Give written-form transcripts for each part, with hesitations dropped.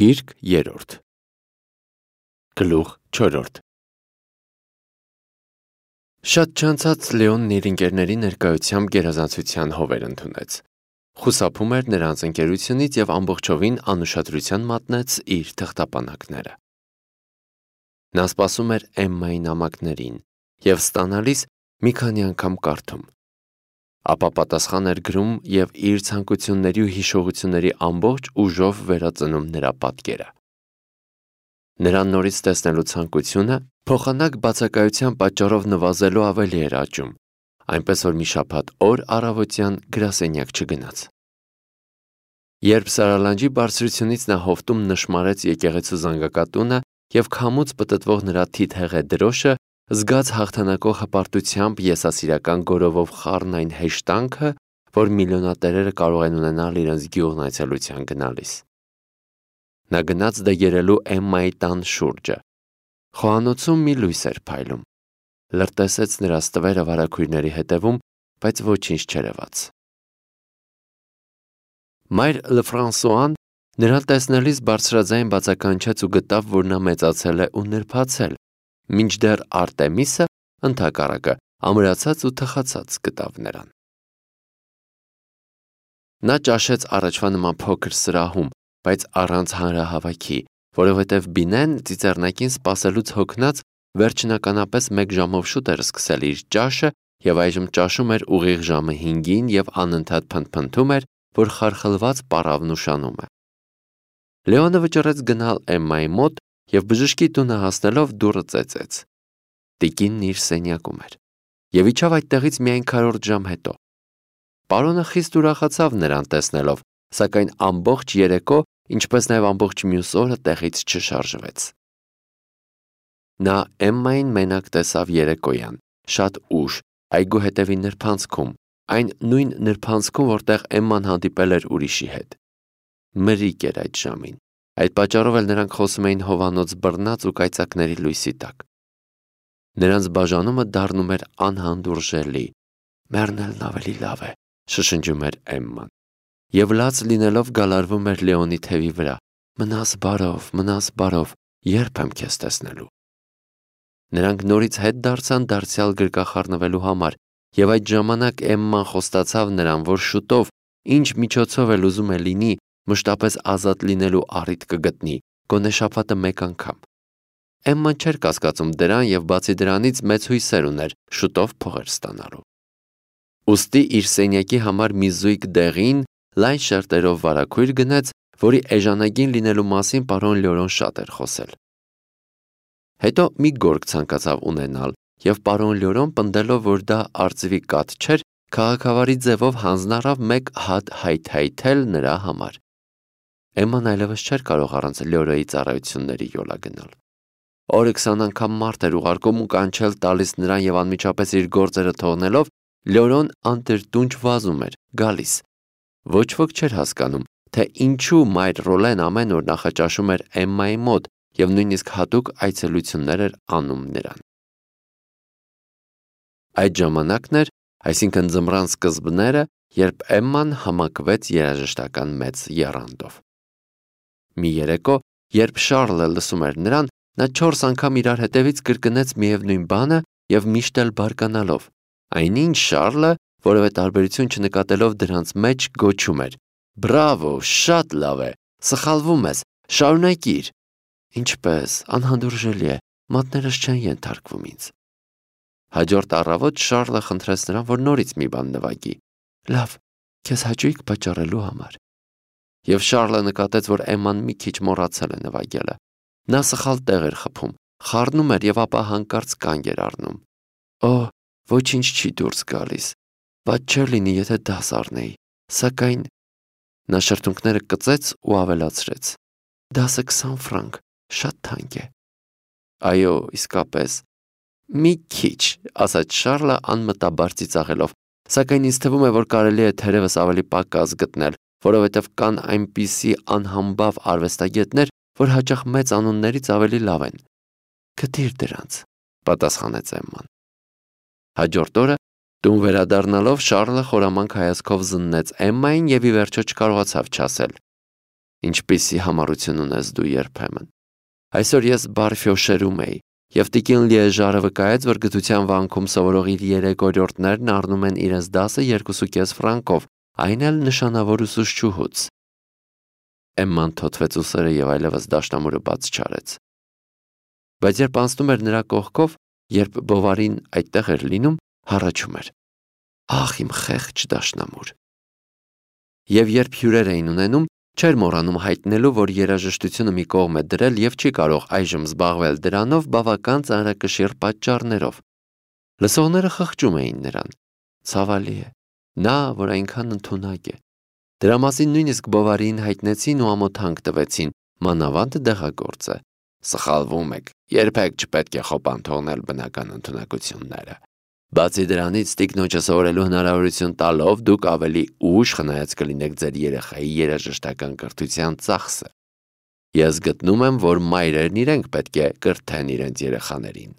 Գիրք 3 Գլուխ 4 Շատ չանցած Լեոնն իր ընկերների ներկայությամբ գերազանցության հովեր ընդունեց։ Խուսափում էր նրանց ընկերությունից և ամբողջովին անուշադրության մատնեց իր թղթապանակները։ Նա սպասում էր Էմմայի նամակներին և ստանալիս մի քանի անգամ կարդում։ Ապա պատասխան էր գրում և իր ցանկությունների ու հիշողությունների ամբողջ ուժով վերածնում նրա պատկերը։ Նրան նորից տեսնելու ցանկությունը փոխանակ բացակայության պատճառով նվազելու ավելի էր աճում, այնպես որ մի շաբաթ օր առավոտյան գրասենյակ չգնաց։ Երբ սարալանջի բարձրությունից նա հովտում նշմարեց եկեղեցու զանգակատունը և քամուց պտտվող նրա թիթեղե դրոշը, զգաց հաղթանակող հպարտությամբ եսասիրական գորովով խառն այն հեշտանքը, որ միլիոնատերերը կարող են ունենալ իրենց գյուղն այցելության գնալիս։ Նա գնաց դեգերելու Էմմայի տան շուրջը։ Խոհանոցում մի լույս էր փայլում։ Լրտեսեց նրա ստվերը վարագույրների հետևում, բայց ոչինչ չերևաց։ Մայր Լեֆրանսուան նրան տեսնելիս բարձրաձայն բացականչեց ու գտավ, որ նա մեծացել է ու նրբացել, մինչդեռ Արտեմիսը, ընդհակառակը, ամրացած ու թխացած գտավ նրան։ Նա ճաշեց առաջվա նման փոքր սրահում, բայց առանց հանրահավաքի, որովհետև Բինեն ծիծեռնակին սպասելուց հոգնած վերջնականապես 1 ժամով շուտ էր սկսել իր ճաշը և այժմ ճաշում էր ուղիղ ժամը 5-ին և անընդհատ փնթփնթում էր, որ խարխլված պառավն ուշանում է։ Լեոնը վճռեց գնալ Էմմայի մոտ և բժշկի տունը հասնելով դուռը ծեծեց։ Տիկինն իր սենյակում էր և իջավ այդտեղից միայն քառորդ ժամ հետո։ Պարոնը խիստ ուրախացավ նրան տեսնելով, սակայն ամբողջ երեկո, ինչպես նաև ամբողջ մյուս օրը տեղից չշարժվեց։ Նա Էմմային մենակ տեսավ երեկոյան, շատ ուշ, այգու հետևի նրբանցքում, այն նույն նրբանցքում, որտեղ Էմման հանդիպել էր ուրիշի հետ։ Մրրիկ էր այդ ժամին, այդ պատճառով էլ նրանք խոսում էին հովանոց բռնած ու կայծակների լույսի տակ։ Նրանց բաժանումը դառնում էր անհանդուրժելի։ «Մեռնելն ավելի լավ է», շշնջում էր Էմման, և լաց լինելով գալարվում էր Լեոնի թևի վրա։ «Մնաս բարով, երբ եմ քեզ տեսնելու»։ Նրանք նորից հետ դարձան դարձյալ գրկախառնվելու համար, և այդ ժամանակ Էմման խոստացավ նրան, որ շուտով, ինչ միջոցով էլ ուզում է լինի, մշտապես ազատ լինելու առիթ կգտնի, գոնե շաբաթը 1 անգամ։ Էմման չէր կասկածում դրան և բացի դրանից մեծ հույսեր ուներ շուտով փողեր ստանալու։ Ուստի իր սենյակի համար մի զույգ դեղին, լայն շերտերով վարագույր գնեց, որի էժանագին լինելու մասին պարոն Լյորոն շատ էր խոսել։ Հետո մի գորգ ցանկացավ ունենալ, և պարոն Լյորոն պնդելով, որ դա արծվի կաթ չէր, քաղաքավարի ձևով հանձն առավ 1 հատ հայթայթել նրա համար։ Էմման այլևս չէր կարող առանց Լյորոյի ծառայությունների յոլա գնալ։ Օրը 20 անգամ մարդ էր ուղարկում ու կանչել տալիս նրան և անմիջապես իր գործերը թողնելով, Լյորոն անտրտունջ վազում էր, գալիս։ Ոչ ոք չէր հասկանում, թե ինչու մայր Ռոլեն ամեն օր նախաճաշում էր Էմմայի մոտ և նույնիսկ հատուկ այցելություններ էր անում նրան։ Այդ ժամանակն էր, այսինքն ձմռան սկզբները, երբ Էմման համակվեց երաժշտական մեծ եռանդով։ Մի երեկո, երբ Շառլը լսում էր նրան, նա 4 անգամ իրար հետևից կրկնեց միևնույն բանը և միշտ էլ բարկանալով, այնինչ Շառլը, որևէ տարբերություն չնկատելով դրանց մեջ, գոչում էր. «Բրավո, շատ լավ է, սխալվում ես, շարունակիր»։ Ինչպես, անհանդուրժելի է, մատներս չեն ենթարկվում ինձ։ Հաջորդ առավոտ Շառլը խնդրեց նրան, որ նորից մի բան նվագի։ Լավ, քեզ հաճույք պատճառելու համար։ Եվ Շառլը նկատեց, որ Էմման մի քիչ մոռացել է նվագելը։ Նա սխալ տեղ էր խփում, խառնում էր և ապա հանկարծ կանգ էր առնում։ Օհ, ոչինչ չի դուրս գալիս։ Ված չէր լինի, եթե դաս առնեի, սակայն… Նա շրթունքները կծեց ու ավելացրեց. «Դասը 20 ֆրանկ, շատ թանկ է»։ Այո, իսկապես։ Մի քիչ, ասաց Շառլը անմտաբար ծիծաղելով, սակայն ինձ թվում է, որ կարելի է թերևս ավելի պակաս գտնել, որովհետև կան այնպիսի անհամբավ արվեստագետներ, որ հաճախ մեծ անուններից ավելի լավ են։ Գտիր դրանց, պատասխանեց Էմման։ Հաջորդ օրը, տուն վերադառնալով, Շառլը խորամանկ հայացքով զննեց Էմմային և ի վերջո չկարողացավ չասել. ինչպիսի համառություն ունես դու երբեմն։ Այսօր ես Բարֆյոշերում էի, եւ տիկին Լիեժարը վկայեց, որ գիտության վանքում սովորող իր 3 օրիորդներն առնում են իրենց դասը 2.5 ֆրանկով, այն էլ նշանավոր ուսուցչուհուց։ Էմման թոթվեց ուսերը եւ այլևս դաշնամուրը բաց չարեց։ Բայց երբ անցնում էր նրա կողքով, երբ Բովարին այդտեղ էր լինում, հառաչում էր. «Ախ, իմ խեղճ դաշնամուր»։ Եվ երբ հյուրեր էին ունենում, չէր մոռանում հայտնելու, որ երաժշտությունը մի կողմ է դրել եւ չի կարող այժմ զբաղվել դրանով բավական ծանրակշիռ պատճառներով։ Լսողները խղճում էին նրան։ Ցավալի է, նա, որ այնքան ընդունակ է։ Դրա մասին նույնիսկ Բովարին հայտնեցին ու ամոթանք տվեցին, մանավանդ դեղագործ է։ Սխալվում եք, երբեք չպետք է խոպան թողնել բնական ընդունակությունները։ Բացի դրանից, տիկնոջը սովորելու հնարավորություն տալով դուք ավելի ուշ խնայած կլինեք ձեր երեխայի երաժշտական կրթության ծախսը։ Ես գտնում եմ, որ մայրերն իրենք պետք է կրթեն իրենց երեխաներին։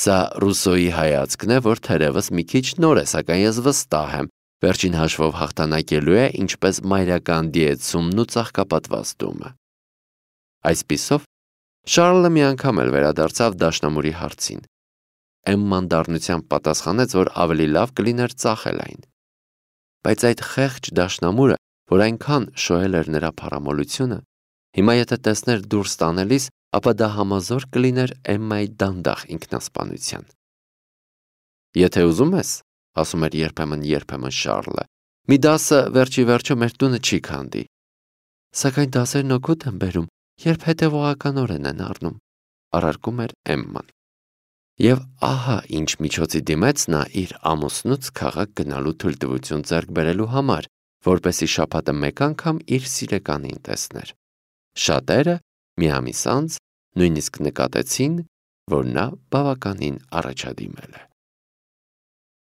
Սա Ռուսոյի հայացքն է, որ թերևս մի քիչ նոր է, սակայն ես վստահ եմ, վերջին հաշվով հաղթանակելու է ինչպես մայրական դիեցումն ու ծաղկապատվաստումը։ Այսպիսով, Շարլը մի անգամ էլ վերադարձավ դաշնամուրի հարցին։ Էմման դառնությամբ պատասխանեց, որ ավելի լավ կլիներ ծախել այն։ Բայց այդ խեղճ դաշնամուրը, որ այնքան շոյել էր նրա փառամոլությունը, հիմա եթե տեսներ դուրս տանելիս, ապա դա համազոր կլիներ Էմմայի դանդաղ ինքնասպանության։ Եթե ուզում ես, ասում էր երբեմն Շարլը, մի դասը վերջի վերջո մեր տունը չի քանդի։ Սակայն դասերն օգուտ են բերում, երբ հետևողականորեն են առնում, առարկում էր Էմման։ Եվ ահա ինչ միջոցի դիմեց նա իր ամուսնուց քաղաք գնալու թույլտվություն ձեռք բերելու համար, որպեսզի շաբաթը մեկ անգամ իր սիրեկանին տեսներ։ Շատերը մի ամիս անց նույնիսկ նկատեցին, որ նա բավականին առաջադիմել է։